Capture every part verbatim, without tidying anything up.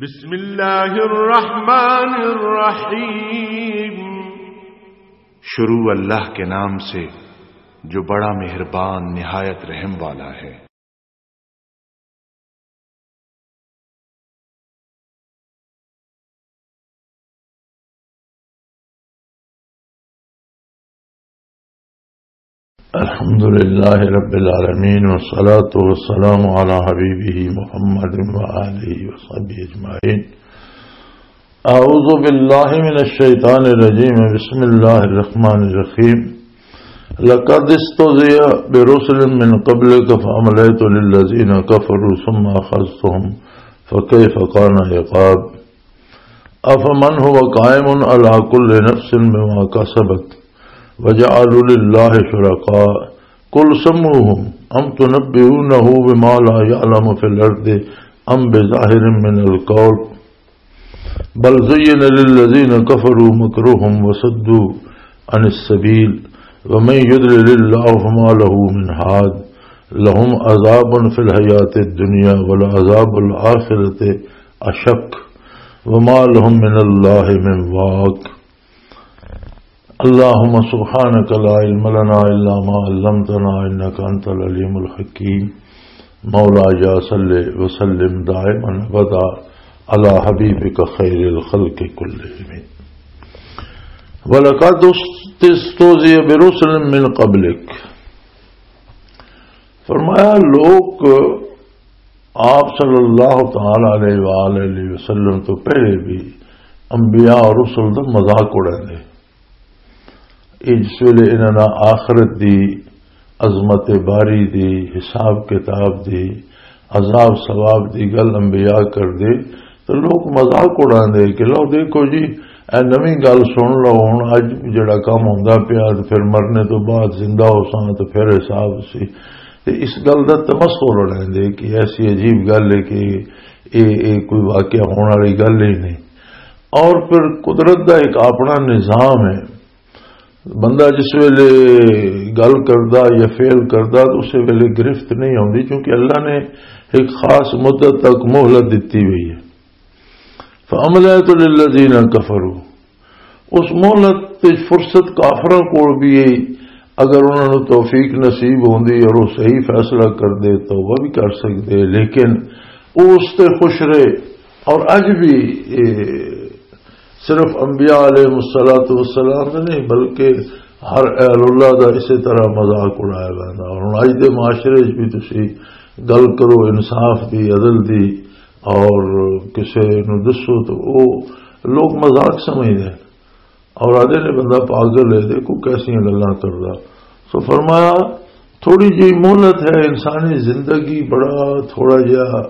بسم اللہ الرحمن الرحیم۔ شروع اللہ کے نام سے جو بڑا مہربان نہایت رحم والا ہے۔ الحمد لله رب العالمين، والصلاة والسلام على حبيبه محمد وآله وصحبه أجمعين. أعوذ بالله من الشيطان الرجيم. بسم الله الرحمن الرحيم. لقد استهزئ برسل من قبلك فأمليت للذين كفروا ثم أخذتهم فكيف كان عقاب. أفمن هو قائم على كل نفس بما كسبت وجعلوا لله شركاء قل سموهم أم تنبئونه بما لا يعلم في الأرض أم بظاهر من القول بل زين للذين كفروا مكرهم وصدوا عن السبيل ومن يضلل الله فما له من هاد لهم عذاب في الحياة الدنيا ولعذاب الآخرة أشق وما لهم من الله من واق. اللهم سبحانك لا علم لنا إلا ما علمتنا إنك أنت العليم الحكيم. مولاي صل وسلم دائما أبدا على حبيبك خير الخلق كلهم. ولقد استهزئ برسل من قبلك. فرمایا، لوگ آپ صلی اللہ تعالی علیہ وآلہ وسلم تو پہلے بھی انبیاء اور رسل دا مذاق اڑاندے۔ یہ جس ویلے انہاں نال آخرت دی، عظمت باری دی، حساب کتاب دی، عذاب ثواب دی گل انبیاء کردے، تو لوگ مذاق اڑاندے کہ لو دیکھو جی، اے نویں گل سن لو، ہن اج جڑا کم ہوندا پیا تے پھر مرنے تو بعد زندہ ہو ساں تے پھر حساب سی۔ تے اس گل دا تمسخر اڑاندے کہ ایسی عجیب گل ہے کہ اے، اے کوئی واقعہ ہون والی گل ہی نہیں۔ اور پھر قدرت دا ایک اپنا نظام ہے، بندہ جس ویلے گل کردا یا فعل کردا تو اس ویلے گرفت نہیں ہوندی، کیونکہ اللہ نے ایک خاص مدت تک مہلت دتی ہوئی ہے۔ فَأَمْلَيْتُ لِلَّذِينَ كَفَرُوا، اس مہلت تے فرصت کافراں کول بھی ہے، اگر انہاں نوں توفیق نصیب ہوندی اور وہ صحیح فیصلہ کردے، توبہ بھی کر سکدے، لیکن وہ اس تے خوش رہے۔ اور اج بھی اے صرف انبیاء علیہ الصلوۃ والسلام دے نہیں، بلکہ ہر اہل اللہ دا اسی طرح مذاق اڑایا ویندا۔ اور ہن اج دے معاشرے وچ بھی تسی گل کرو انصاف دی، عدل دی، اور کسے نوں دسو تو وہ لوگ مذاق سمجھدے اور آدھے نے بندہ پاگل ہے، دیکھو کیسیاں گلاں کردا۔ سو فرمایا، تھوڑی جی مہلت ہے، انسانی زندگی بڑا تھوڑا جہا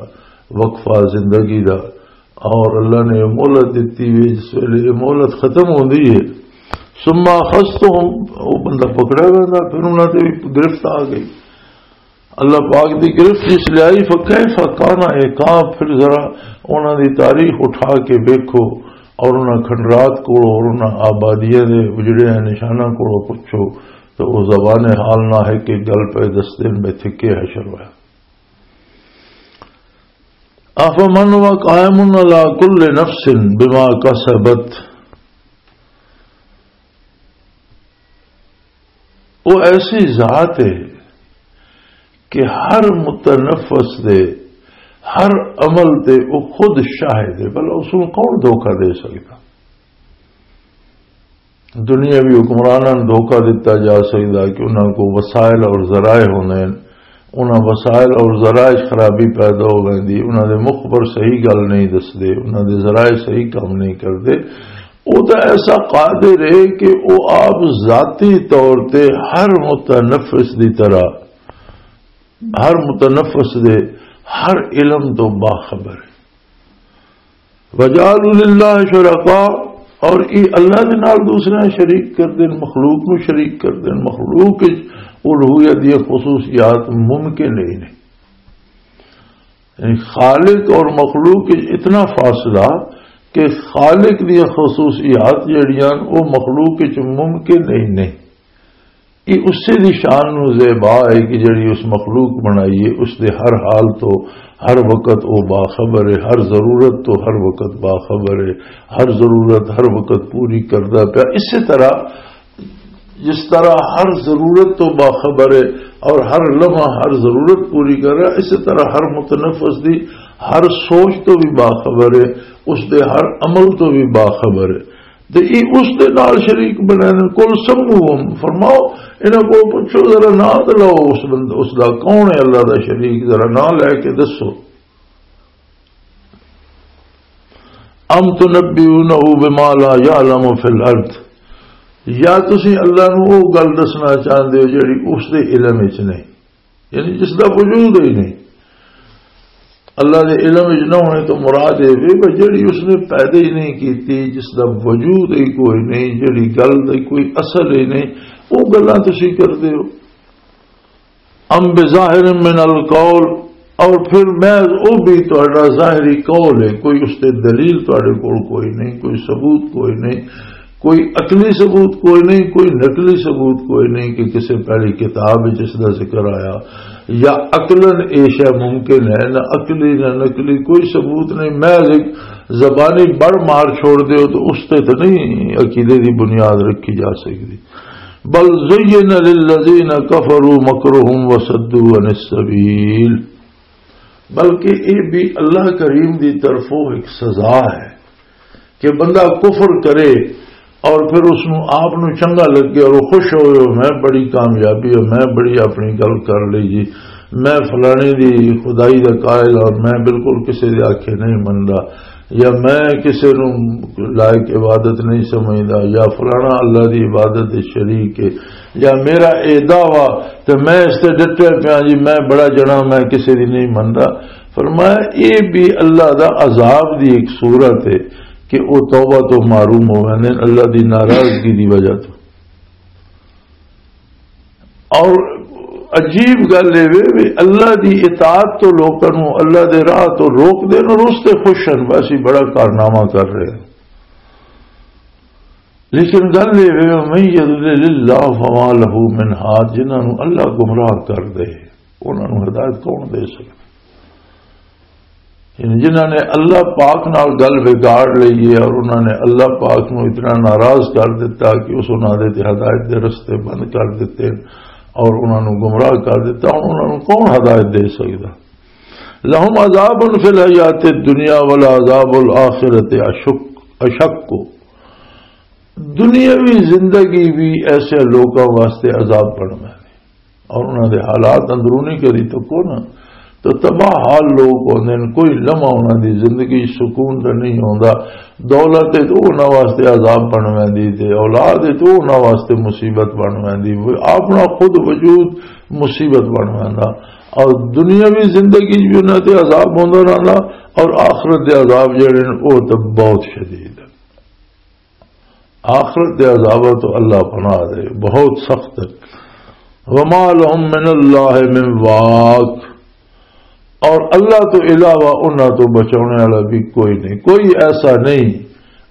وقفہ زندگی دا، اور اللہ نے یہ مہلت دتی ہوئی، جس ویلے یہ مہلت ختم ہوندی ہے، ثم اخذتهم، وہ بندہ پکڑا ویندا، پھر انہاں تے بھی گرفت آ گئی۔ اللہ پاک دی گرفت جس لے آئی، فکیف کان عقاب، پھر ذرا انہاں دی تاریخ اٹھا کے ویکھو، اور انہاں کھنڈرات کولوں اور انہاں آبادیاں دے اجڑے نشاناں کولوں پچھو، تو وہ زبان حال نہ ہے کہ گل پہ دس دن میں تھکے حشر ہویا۔ افمن هو قائم على كل نفس بما كسبت، وہ ایسی ذات ہے کہ ہر متنفس دے، ہر عمل دے وہ خود شاہد ہے۔ بھلا اس نوں کون دھوکا دے سکدا؟ دنیاوی حکمراناں نوں دھوکا دتا جا سکدا کہ انہاں کو وسائل اور ذرائع ہوندے ہن، انہاں وسائل اور ذرائع 'چ خرابی پیدا ہو ویندی، انہاں دے مخبر صحیح گل نہیں دسدے، انہاں دے ذرائع صحیح کم نہیں کردے۔ او تاں ایسا قادر ہے کہ او آپ ذاتی طور تے ہر متنفس دی طرح، ہر متنفس دے ہر علم تو باخبر ہے۔ وجعلوا للہ شرکاء، اور یہ اللہ دے نال دوسرے شریک کر دین، مخلوق نو شریک کر دین، مخلوق وچ الوہیت دی خصوصیات ممکن ہی نہیں۔ یعنی خالق اور مخلوق وچ اتنا فاصلہ کہ خالق دی خصوصیات جڑیاں وہ مخلوق وچ ممکن ہی نہیں۔ یہ اسے دی شان نو زیبا ہے کہ جڑی اس مخلوق بنائی ہے، اس دے ہر حال تو ہر وقت وہ باخبر ہے، ہر ضرورت تو ہر وقت باخبر ہے، ہر ضرورت ہر وقت پوری کردا پیا۔ اسی طرح، جس طرح ہر ضرورت تو باخبر ہے اور ہر لمحہ ہر ضرورت پوری کر رہا، اسی طرح ہر متنفس دی ہر سوچ تو بھی باخبر ہے، اس دے ہر عمل تو بھی باخبر ہے۔ تے ای اس دے نال شریک بنے نے۔ قل سموہم، فرماؤ، انہاں کو پوچھو ذرا، نام تے لو اس بندے، اس دا کون ہے اللہ دا شریک؟ ذرا نام لے کے دسو۔ ام تنبئونہ بما لا یعلم فی الارض، یا تسی اللہ نو او گل دسنا چاہندے ہو جڑی اس دے علم وچ نہیں، یعنی جس دا وجود ہی نہیں؟ اللہ دے علم وچ نہ ہونے تو مراد یہ بھی کہ جڑی اس نے پیدا ہی نہیں کیتی، جس دا وجود ہی کوئی نہیں، جڑی گل دا کوئی اصل ہی نہیں، وہ گلاں تسی کردے ہو۔ ام بظاہر من القول، اور پھر محض او بھی تہاڈا ظاہری قول ہے، کوئی اس تے دلیل تہاڈے کول کوئی نہیں، کوئی ثبوت کوئی نہیں، کوئی عقلی ثبوت کوئی نہیں، کوئی نقلی ثبوت کوئی نہیں کہ کسی پہلی کتاب وچ اس دا ذکر آیا، یا عقلاً اے شے ممکن ہے، نہ عقلی نہ نقلی کوئی ثبوت نہیں، محض ایک زبانی بڑ مار چھوڑ دیو تو اس تے تو نہیں عقیدے دی بنیاد رکھی جا سکتی۔ بل زین للذین کفروا مکرہم وصدوا عن السبیل، بلکہ یہ بھی اللہ کریم دی طرفوں ایک سزا ہے کہ بندہ کفر کرے اور پھر اس نو آپ نو چنگا لگے اور وہ خوش ہوئے، "میں بڑی کامیابی ہے، میں بڑی اپنی گل کر لی جی، میں فلانے دی خدائی دا قائل اور میں بالکل کسی دے آکھے نہیں مندا، یا میں کسی نو لائق عبادت نہیں سمجھدا، یا فلانا اللہ دی عبادت دے شریک ہے، یا میرا اے دعویٰ تے میں اس تے ڈٹیا پیا جی، میں بڑا جنا، میں کسی دی نہیں مندا۔" فرمایا، یہ بھی اللہ دا عذاب دی ایک صورت ہے کہ وہ توبہ تو محروم ہو گئے نے اللہ دی ناراضگی دی وجہ تو۔ اور عجیب گل یہ وے بھی اللہ دی اطاعت تو لوکاں نو، اللہ دے راہ تو روک دین اور اس تے خوش ہیں، بس یہ بڑا کارنامہ کر رہے ہیں۔ لیکن گل یہ وے، "من یضلل اللہ فما لہ من ہاد"، جنہاں نو اللہ گمراہ کر دے، انہاں نو ہدایت کون دے سکدا؟ یعنی جنہاں نے اللہ پاک نال گل بگاڑ لئی ہے اور انہاں نے اللہ پاک نو اتنا ناراض کر دیتا کہ اس انہاں دے تے ہدایت دے رستے بند کر دیتے اور انہاں نو گمراہ کر دیتا، ہن انہاں نو کون ہدایت دے سکدا؟ لہم عذاب فی الحیات الدنیا ولعذاب الآخرۃ اشق، اشق۔ دنیاوی زندگی بھی ایسے لوکاں واسطے عذاب بننا ہے۔ اور انہاں دے حالات اندرونی کری تو کو نا، تو تباہ حال لوگ ہوندے نے، کوئی لمحہ انہاں دی زندگی سکون دا نہیں ہوندا۔ دولت تے تو انہاں واسطے عذاب بن ویندی تے اولاد تے تو انہاں واسطے مصیبت بن ویندی، وہ اپنا خود وجود مصیبت بن ویندا۔ اور دنیاوی زندگی بھی انہاں تے عذاب ہوندا رہندا، اور آخرت دے عذاب جڑے نے، وہ تو بہت شدید ہے۔ آخرت دے عذاب تو اللہ پناہ دے، بہت سخت ہے۔ وما لهم من اللہ من واق، اور اللہ تو علاوہ انہاں تو بچانے والا بھی کوئی نہیں، کوئی ایسا نہیں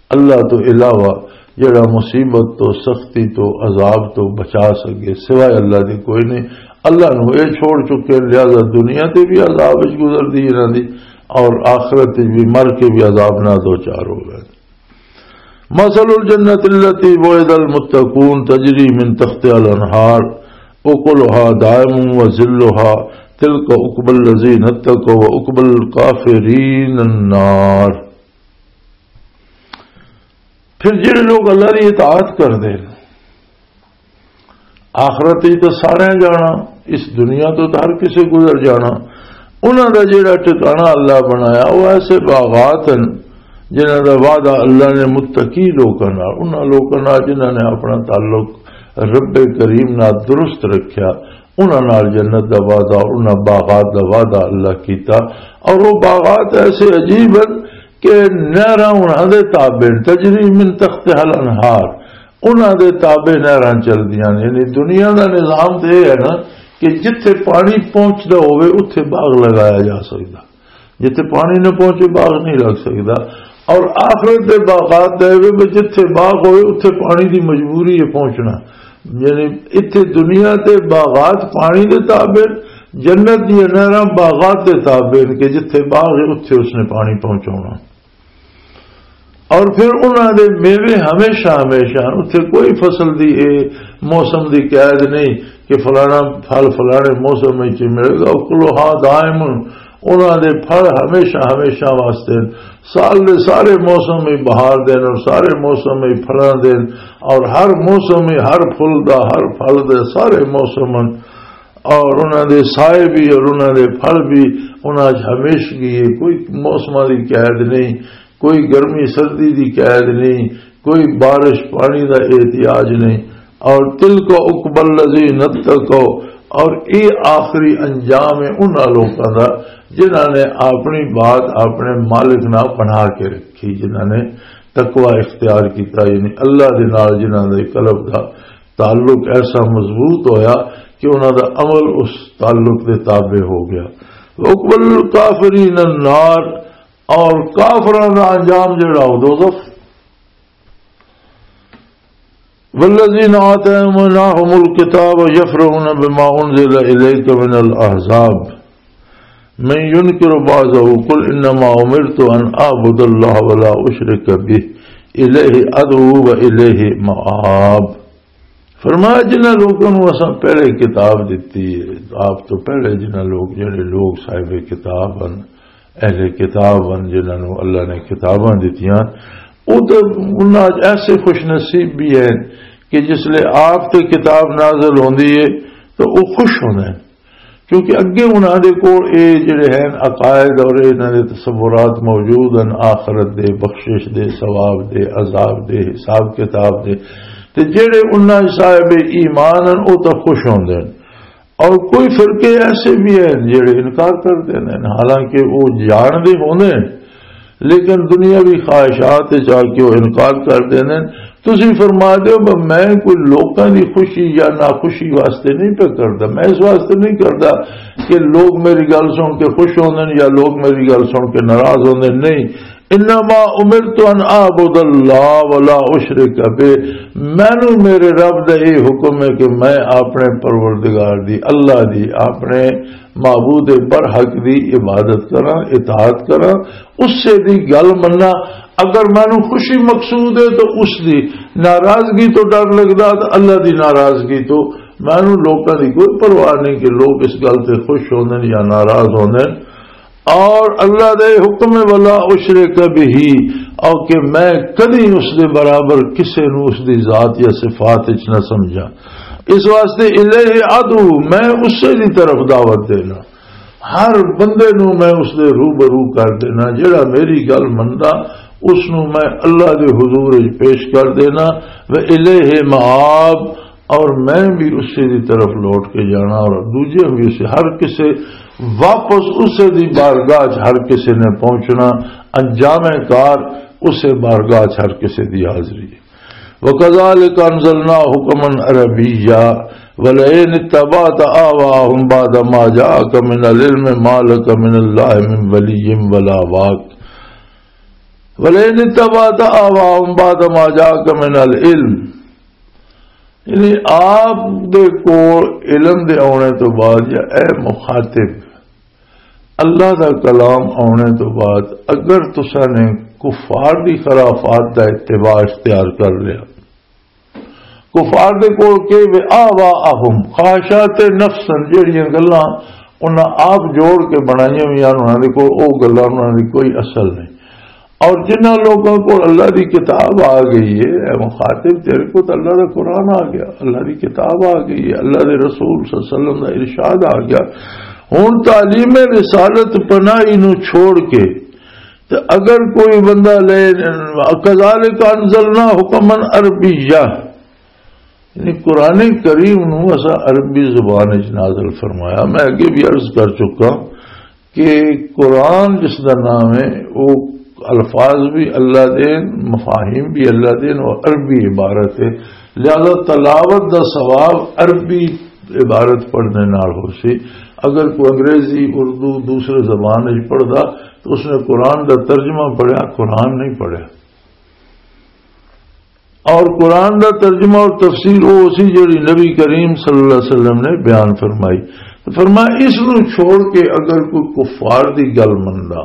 اللہ تو علاوہ جڑا مصیبت تو، سختی تو، عذاب تو بچا سکے، سوائے اللہ دے کوئی نہیں۔ اللہ نو اے چھوڑ چکے، لہذا دنیا تے بھی عذاب وچ گزر دی انہاں دی، اور آخرت وچ بھی مر کے بھی عذاب نہ دو چار ہو گئے۔ مثل الجنة التي وعد المتقون تجري من تحتها الأنهار أكلها دائم وظلها تلك عقبى الذين اتقوا وعقبى الكافرين النار۔ پھر جڑے لوگ اللہ کی اطاعت کردے نے، آخرت وچ تے سارے جانا، اس دنیا تو تے ہر کسے گزر جانا۔ انہاں دا جڑا ٹھکانہ اللہ بنایا، وہ ایسے باغات ہیں جنہاں دا وعدہ اللہ نے متقی لوکاں نال، انہاں لوکاں نال جنہاں نے اپنا تعلق رب کریم نال درست رکھیا، انہاں نال جنت دا وعدہ، انہاں باغات دا وعدہ اللہ کیتا۔ اور وہ باغات ایسے عجیب ہیں کہ نہراں انہاں دے تابع، تجری من تحتها الانہار، انہاں دے تابع نہراں چلدیاں نے۔ یعنی دنیا دا نظام تے یہ ہے نا کہ جتھے پانی پہنچدا ہوئے، اتھے باغ لگایا جا سکدا، جتھے پانی نہ پہنچے، باغ نہیں لگ سکدا۔ اور آخرت دے باغات دے وے، جتھے باغ ہوئے، اتھے پانی دی مجبوری ہے پہنچنا۔ یعنی اتھے دنیا تے باغات پانی دے تابع، جنت دیاں نہراں باغات دے تابع نے کہ جتھے باغ ہے، اتھے اس نے پانی پہنچاونا۔ اور پھر انہاں دے میوے ہمیشہ ہمیشہ، اتھے کوئی فصل دی، اے موسم دی قید نہیں کہ فلانا پھل فلانے موسم وچ ملے گا۔ اکلھا دائم، انہاں دے پھل ہمیشہ ہمیشہ واسطے، سال دے سارے موسم وچ بہار دے اور سارے موسم وچ پھلاں دے، اور ہر موسم وچ ہر پھل دا، ہر پھل دے سارے موسم، اور انہاں دے سائے بھی اور انہاں دے پھل بھی، انہاں وچ ہمیشگی ہے، کوئی موسماں دی قید نہیں، کوئی گرمی سردی دی قید نہیں، کوئی بارش پانی دا احتیاج نہیں۔ اور تلک عقبی الذین اتقوا، اور اے آخری انجام ہے انہاں لوکاں دا جنہاں نے اپنی بات اپنے مالک نال بنا کے رکھی، جنہاں نے تقوی اختیار کیتا، یعنی اللہ دے نال جنہاں دے قلب دا تعلق ایسا مضبوط ہویا کہ انہاں دا عمل اس تعلق دے تابع ہو گیا۔ عقبی الکافرین النار، اور کافراں دا انجام جڑا، وہ دوزخ۔ والذین آتیناہم الکتاب یفرحون بما انزل الیک من الاحزاب، من ینکر بعضہ قل انما امرت ان اعبد اللہ ولا اشرک بہ الیہ ادعو و الیہ مآب۔ فرمایا، جنہاں لوگوں نوں اساں پہلے کتاب دتی ہے، آپ تو پہلے جنہاں لوگ، جڑے لوگ صاحب کتاب ہن، اہل کتاب ہن، جنہاں نوں اللہ نے کتاباں دتیاں، وہ تو انہاں وچ ایسے خوش نصیب بھی ہیں کہ جس لے آپ تے کتاب نازل ہوندی ہے تو وہ خوش ہوندے ہیں، کیونکہ اگے انہاں دے کول اے جڑے ہیں عقائد اور انہاں دے تصورات موجود ہیں، آخرت دے، بخشش دے، ثواب دے، عذاب دے، حساب کتاب دے، تے جڑے انہاں صاحب ایمان ہیں، وہ تو خوش ہوندے ہیں۔ اور کوئی فرقے ایسے بھی ہیں جڑے انکار کر دیندے ہیں، حالانکہ وہ جان دے ہوندے ہیں، لیکن دنیاوی خواہشات وچ آ کے وہ انکار کر دیندے ہیں۔ تسی فرما دیو، "میں کوئی لوکاں دی خوشی یا ناخوشی واسطے نہیں پہ کردا، میں اس واسطے نہیں کردا کہ لوگ میری گل سن کے خوش ہوندے ہیں یا لوگ میری گل سن کے ناراض ہوندے ہیں، نہیں۔" انما امرت ان اعبد اللہ ولا اشرک بہ، مینوں میرے رب دا یہ حکم ہے کہ میں اپنے پروردگار دی، اللہ دی، اپنے معبود برحق دی عبادت کراں، اطاعت کراں، اس سے دی گل مننا۔ اگر مینوں خوشی مقصود ہے تو اس دی، ناراضگی تو ڈر لگدا تو اللہ دی ناراضگی تو۔ مینوں لوکاں دی کوئی پرواہ نہیں کہ لوگ اس گل تے خوش ہوندے نے یا ناراض ہوندے نے۔ اور اللہ دے حکم ہے، "ولا اشرک بہ"، اور کہ میں کدی اس دے برابر کسے نو اس دی ذات یا صفات وچ نہ سمجھاں۔ اس واسطے الیہ ادعو، میں اسے دی طرف دعوت دینا۔ ہر بندے نو میں اس دے روبرو کر دینا، جڑا میری گل مندا، اس نو میں اللہ دے حضور وچ پیش کر دینا۔ و الیہ مآب، اور میں بھی اسی دی طرف لوٹ کے جانا، اور دوجے بھی اسی، ہر کسے واپس اسے دی بارگاہ چ ہر کسے نے پہنچنا، انجام کار اسے بارگاہ چ ہر کسے دی حاضری ہے۔ وَكَذَلِكَ أَنزَلْنَا حُكْمًا عَرَبِيًّا وَلَئِنِ اتَّبَعْتَ أَهْوَاءَهُمْ بَعْدَ مَا جَاءَكَ مِنَ الْعِلْمِ مَا لَكَ مِنَ اللَّهِ مِنْ وَلِيٍّ وَلَا وَاقٍ وَلَئِنِ اتَّبَعْتَ أَهْوَاءَهُمْ بَعْدَ مَا جَاءَكَ مِنَ الْعِلْمِ، یعنی آپ دے کول علم دے آنے تو بعد، یا اے مخاطب، اللہ دا کلام آنے تو بعد اگر تساں نے کفار دی خرافات دا اتباع اختیار کر لیا، کفار دے کول کہ وے آوا اہم، خواہشات نفس ہن، جہڑیاں گلاں انہاں آپ جوڑ کے بنائیاں ہوئیاں، انہاں دے کول او گلاں، انہاں دی کوئی اصل نہیں۔ اور جنہاں لوگوں کول اللہ دی کتاب آ گئی ہے، اے مخاطب، تیرے کول تے اللہ دا قرآن آ گیا، اللہ دی کتاب آ گئی ہے، اللہ دے رسول صلی اللہ علیہ وسلم دا ارشاد آ گیا۔ ہن تعلیم رسالت پناہی نو چھوڑ کے تے اگر کوئی بندہ لے، کذالک انزلنا حکما عربیا، یعنی قرآن کریم نو اسا عربی زبان وچ نازل فرمایا۔ میں اگے بھی عرض کر چکا کہ قرآن جس دا نام ہے، وہ الفاظ بھی اللہ دے، مفاہیم بھی اللہ دے، اور عربی عبارت ہے، لہذا تلاوت دا ثواب عربی عبارت پڑھنے نال ہو سی۔ اگر کوئی انگریزی، اردو، دوسرے زبان وچ پڑھدا تو اس نے قرآن دا ترجمہ پڑھیا، قرآن نہیں پڑھیا۔ اور قرآن دا ترجمہ اور تفسیر وہ اسی جڑی نبی کریم صلی اللہ علیہ وسلم نے بیان فرمائی۔ تو فرمایا، اس نو چھوڑ کے اگر کوئی کفار دی گل مندا،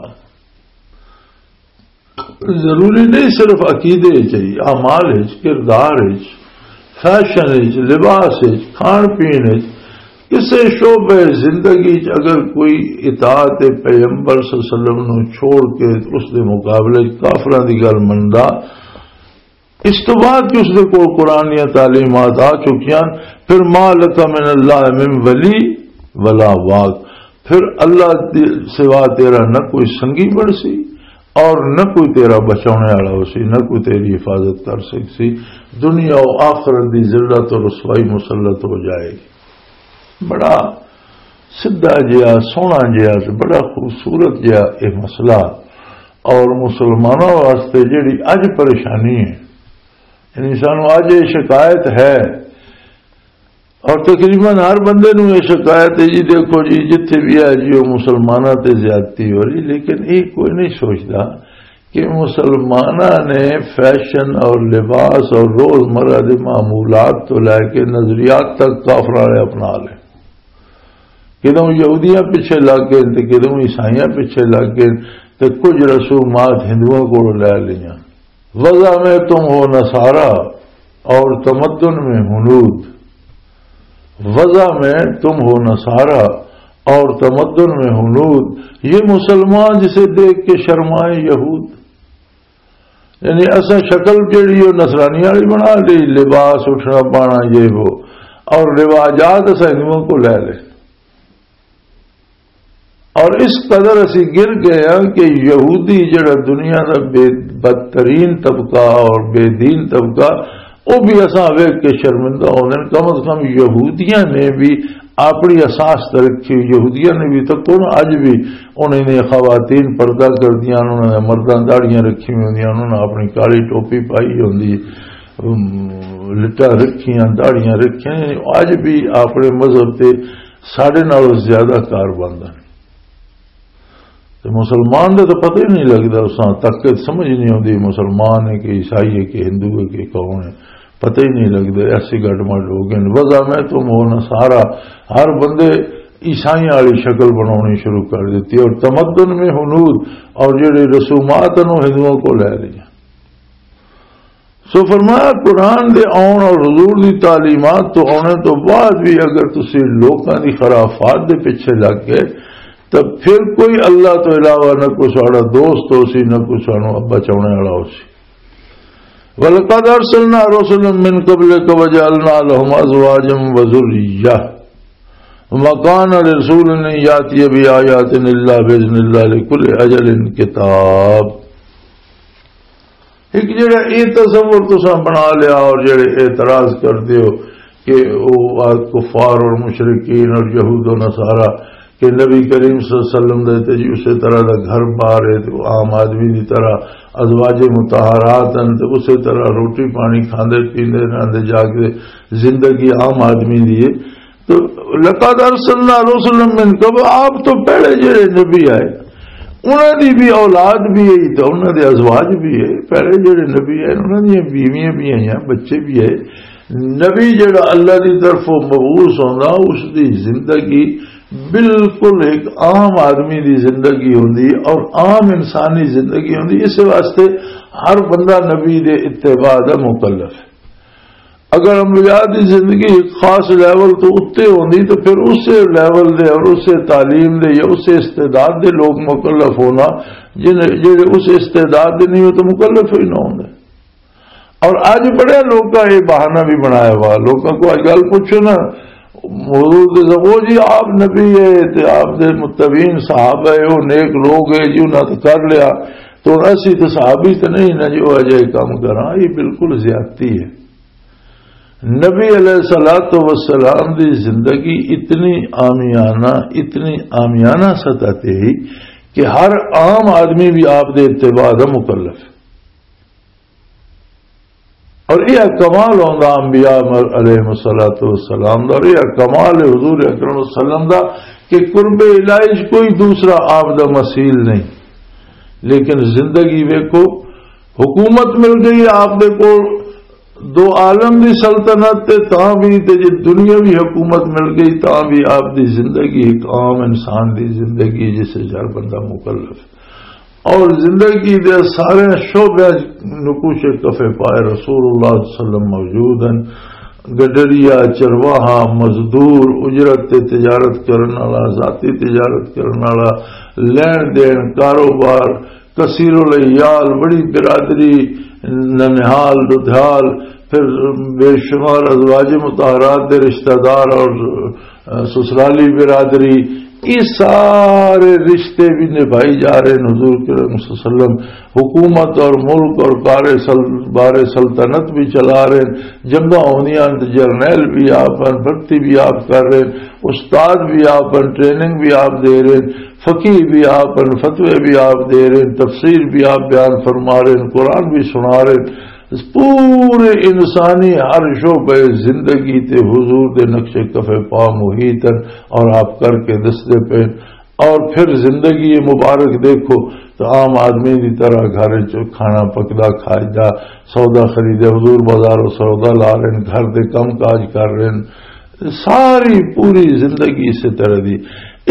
ضروری نہیں صرف عقیدے وچ ہی، اعمال وچ، کردار وچ، فیشن وچ، لباس وچ، کھان پین وچ، کسے شعبے زندگی وچ اگر کوئی اطاعت پیغمبر صلی اللہ علیہ وسلم نو چھوڑ کے اس دے مقابلے وچ کافراں دی گل مندا، اس تو بعد کہ اس دے کول قرآن دیاں تعلیمات آ چکیاں، پھر ما لک من اللہ من ولی ولا واق، پھر اللہ دے سوا تیرا نہ کوئی سنگی بن سی اور نہ کوئی تیرا بچانے والا ہو سی، نہ کوئی تیری حفاظت کر سک سی۔ دنیا و آخرت دی ذلت و رسوائی مسلط ہو جائے گی۔ بڑا سدھا جہا، سوہنا جہا، بڑا خوبصورت جہا یہ مسئلہ۔ اور مسلمانوں واسطے جڑی اج پریشانی ہے، یعنی سانو اج یہ شکایت ہے، اور تقریباً ہر بندے نو یہ شکایت ہے، جی دیکھو جی، جتھے بھی ہے جی، وہ مسلمانوں تے زیادتی ہو رہی، لیکن یہ کوئی نہیں سوچتا کہ مسلمانوں نے فیشن اور لباس اور روزمرہ دے معمولات تو لے کے نظریات تک کافر والے اپنا لے۔ کدوں یہودیاں پیچھے لگ گئے تے کدوں عیسائیاں پیچھے لگ گئے، تے کچھ رسومات ہندوؤں کو لے لیاں۔ وضع میں تم ہو نصارا اور تمدن میں ہنود۔ وضع میں تم ہو نصارا اور تمدن میں ہنود۔ یہ مسلمان جسے دیکھ کے شرمائے یہود۔ یعنی اساں شکل جڑی وہ نصرانی والی بنا لی، لباس اٹھنا پانا یہ وہ، اور رواجات اساں ہندوؤں کو لے لے۔ اور اس قدر اسی گر گئے ہاں کہ یہودی جڑا دنیا دا بے، بدترین طبقہ اور بے دین طبقہ، وہ بھی اساں ویکھ کے شرمندہ ہوندے نے۔ کم از کم یہودیاں نے بھی اپنی اساس تے رکھی ہوئی، یہودیاں نے بھی، تکو نا، اج بھی انہاں نے خواتین پردہ کردیاں، انہاں نے مرداں داڑھیاں رکھی ہوئی ہوندیاں، انہاں نے اپنی کالی ٹوپی پائی ہوندی، ام، لٹاں رکھیاں، داڑھیاں رکھیاں، اج بھی اپنے مذہب تے ساڈے نالوں زیادہ کار بند ہیں۔ تے مسلمان دا تو پتہ ہی نہیں لگدا، اس طاقت سمجھ نہیں آتی مسلمان ہے کہ عیسائی ہے کہ ہندو ہے کہ کون ہے، پتہ ہی نہیں لگدا۔ ایسے گڈ مڈ ہو گئے۔ وضع میں تم ہو نصارا، ہر بندے عیسائیاں والی شکل بنانی شروع کر دیتی اور تمدن میں ہنود، اور جڑے رسومات ہیں وہ ہندوؤں کو لے لیا۔ سو فرمایا، قرآن دے آن اور حضور دی تعلیمات تو آنے تو بعد بھی اگر تسی لوکاں دی خرافات دے پیچھے لگ گئے، تو پھر کوئی اللہ تو علاوہ نہ کوئی ساڑا دوست ہو سی، نہ کوئی سانو بچانے والا ہو سی۔ وَلَقَدْ أَرْسَلْنَا رُسُلًا مِّن قَبْلِكَ وَجَعَلْنَا لَهُمْ أَزْوَاجًا وَذُرِّيَّةً وَمَا كَانَ لِرَسُولٍ أَن يَأْتِيَ بِآيَةٍ إِلَّا بِإِذْنِ اللَّهِ لِكُلِّ أَجَلٍ كِتَابٌ۔ ایک جڑا یہ تصور تساں بنا لیا اور جڑے اعتراض کردے ہو کہ وہ کفار اور مشرکین اور یہود و نصارہ کہ نبی کریم صلی اللہ علیہ وسلم دے تے جی اسے طرح دا گھر بار ہے تے وہ عام آدمی دی طرح ازواج مطہرات ہیں تے اسے طرح روٹی پانی کھاندے پیندے رہندے جاگدے، زندگی عام آدمی دی ہے۔ تو لقد ارسلنا رسلا من قبل، آپ تو پہلے جڑے نبی آئے، انہاں دی بھی اولاد بھی ہے، تو انہاں دے ازواج بھی ہے۔ پہلے جڑے نبی آئے، انہاں دیاں بیویاں بھی آئیاں، بچے بھی آئے۔ نبی جڑا اللہ دی طرفوں مبعوث ہوندا، اس دی زندگی بالکل ایک عام آدمی دی زندگی ہوندی اور عام انسانی زندگی ہوندی۔ اس واسطے ہر بندہ نبی دے اتباع دا مکلف ہے۔ اگر انبیاء دی زندگی ایک خاص لیول تو اتے ہوندی تو پھر اسے لیول دے اور اسے تعلیم دے یا اسے استعداد دے لوگ مکلف ہونا، جن جڑے اس استعداد دے نہیں ہو تو مکلف ہی نہ ہوندے۔ اور اج بڑے لوکاں یہ بہانہ بھی بنایا ہوا، لوکاں کو اج گل پوچھو نا، حضور دے سب، "او جی آپ نبی ہے تے آپ دے متبعین صحابہ ہے، وہ نیک لوگ ہے جی، انہاں تو کر لیا، تو اسی تو صحابی تو نہیں نا جی وہ اجے کام کراں۔" یہ بالکل زیادتی ہے۔ نبی علیہ الصلوۃ والسلام دی زندگی اتنی عامیانہ، اتنی عامیانہ سطح تے ہی کہ ہر عام آدمی بھی آپ دے اتباع دا مکلف ہے۔ اور یہ کمال ہوندا انبیاء علیہ الصلوۃ والسلام دا، اور یہ کمال حضور اکرم صلی اللہ علیہ وسلم دا کہ قرب الہی چ کوئی دوسرا آپ دا مثیل نہیں۔ لیکن زندگی ویکھو، حکومت مل گئی ہے آپ دے کول، دو عالم دی سلطنت تے تاں بھی، تے جے دنیاوی حکومت مل گئی تاں بھی آپ دی زندگی ایک عام انسان دی زندگی، جس وچ ہر بندہ مکلف۔ اور زندگی دے سارے شعبے نقوش کفے پائے رسول اللہ صلی اللہ علیہ وسلم موجود ہیں۔ گڈریا، چرواہا، مزدور، اجرت تے تجارت کرن والا، ذاتی تجارت کرن والا، لین دین، کاروبار، کثیر الیال، بڑی برادری، ننہال، دودھال، پھر بے شمار ازواج مطہرات دے رشتہ دار اور سسرالی برادری، یہ سارے رشتے بھی نبھائی جا رہے ہیں حضور کریم صلی اللہ علیہ وسلم۔ حکومت اور ملک اور کار سل-، بار سلطنت بھی چلا رہے ہیں۔ جنگاں ہوندیاں ہیں تو جرنیل بھی آپ ہیں، بھرتی بھی آپ کر رہے ہیں، استاد بھی آپ ہیں، ٹریننگ بھی آپ دے رہے ہیں، فقیہ بھی آپ ہیں، فتوے بھی آپ دے رہے ہیں، تفسیر بھی آپ بیان فرما رہے ہیں، قرآن بھی سنا رہے ہیں۔ اس پورے انسانی ہر شعبے زندگی تے حضور دے نقش کفے پا محیط ہیں اور آپ کر کے دستے پے۔ اور پھر زندگی مبارک دیکھو تو عام آدمی دی طرح گھر وچ کھانا پکدا، کھاجدا، سودا خریدے، حضور بازاروں سودا لا رہے ہیں، گھر دے کم کاج کر رہے ہیں، ساری پوری زندگی اسی طرح دی۔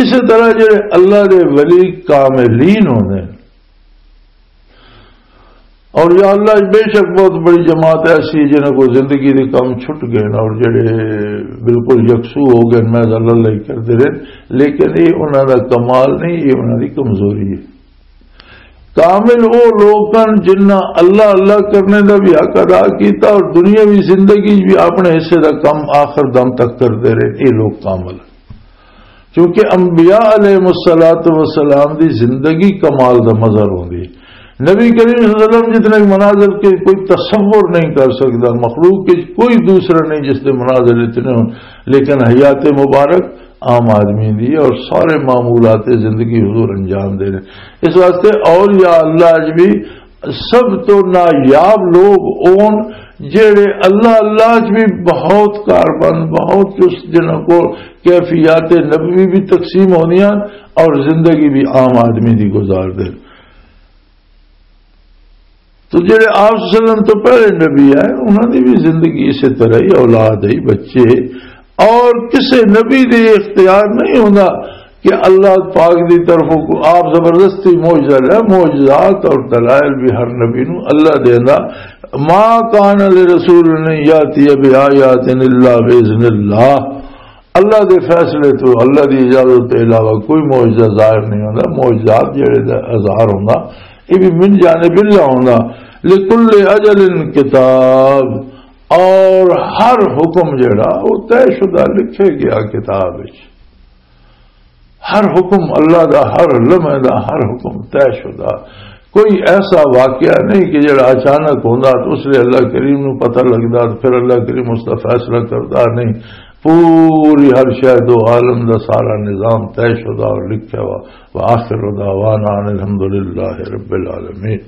اسی طرح جڑے اللہ دے ولی کاملین ہوندے ہیں، اور یا اللہ، بے شک بہت بڑی جماعت ایسی ہے جنہاں کو زندگی دے کم چھٹ گئے نا، اور جڑے بالکل یکسو ہو گئے، میں اللہ اللہ ہی کردے رہے، لیکن یہ انہاں دا کمال نہیں، یہ انہاں دی کمزوری ہے۔ کامل وہ لوگ ہیں جنہاں اللہ اللہ کرنے دا بھی حق ادا کیتا اور دنیاوی زندگی بھی اپنے حصے دا کم آخر دم تک کردے رہے، یہ لوگ کامل ہیں۔ کیونکہ انبیاء علیہ الصلوۃ والسلام دی زندگی کمال دا مظہر ہوندی ہے۔ نبی کریم صلی اللہ علیہ وسلم جتنے مناظر کے کوئی تصور نہیں کر سکتا، مخلوق کے کوئی دوسرا نہیں جس دے مناظر اتنے ہوں، لیکن حیات مبارک عام آدمی دی اور سارے معمولات زندگی حضور انجام دے رہے۔ اس واسطے اولیاء اللہ اج بھی سب تو نایاب لوگ اون جڑے اللہ اللہ اج بھی بہت کاربند، بہت چست، جنہاں کو کیفیات نبوی بھی تقسیم ہونیاں اور زندگی بھی عام آدمی دی گزار دے۔ تو جڑے آپ صلی اللہ علیہ وسلم تو پہلے نبی آئے، انہاں دی بھی زندگی اسی طرح ہی، اولاد ہی، بچے، اور کسے نبی دے اختیار نہیں ہوندا کہ اللہ پاک دی طرفوں کو آپ زبردستی معجزہ لے۔ معجزات اور دلائل بھی ہر نبی نو اللہ دیندا۔ ما کان لرسول ان یاتی بآیات الا باذن اللہ۔ اللہ دے فیصلے تو، اللہ دی اجازت تو علاوہ کوئی معجزہ ظاہر نہیں ہوندا۔ معجزات جڑے دا اظہار ہوندا، یہ بھی من جانب اللہ ہوندا۔ لکل اجل کتاب، اور ہر حکم جڑا وہ طے شدہ لکھے گیا کتاب وچ۔ ہر حکم اللہ دا، ہر لمحے دا، ہر حکم طے شدہ۔ کوئی ایسا واقعہ نہیں کہ جڑا اچانک ہوندا تو اس لیے اللہ کریم نو پتہ لگدا تو پھر اللہ کریم اس دا فیصلہ کردا، نہیں۔ پوری ہر شے دو عالم دا سارا نظام طے شدہ اور لکھیا ہوا۔ وآخر دعوانا ان الحمدللہ رب العالمین۔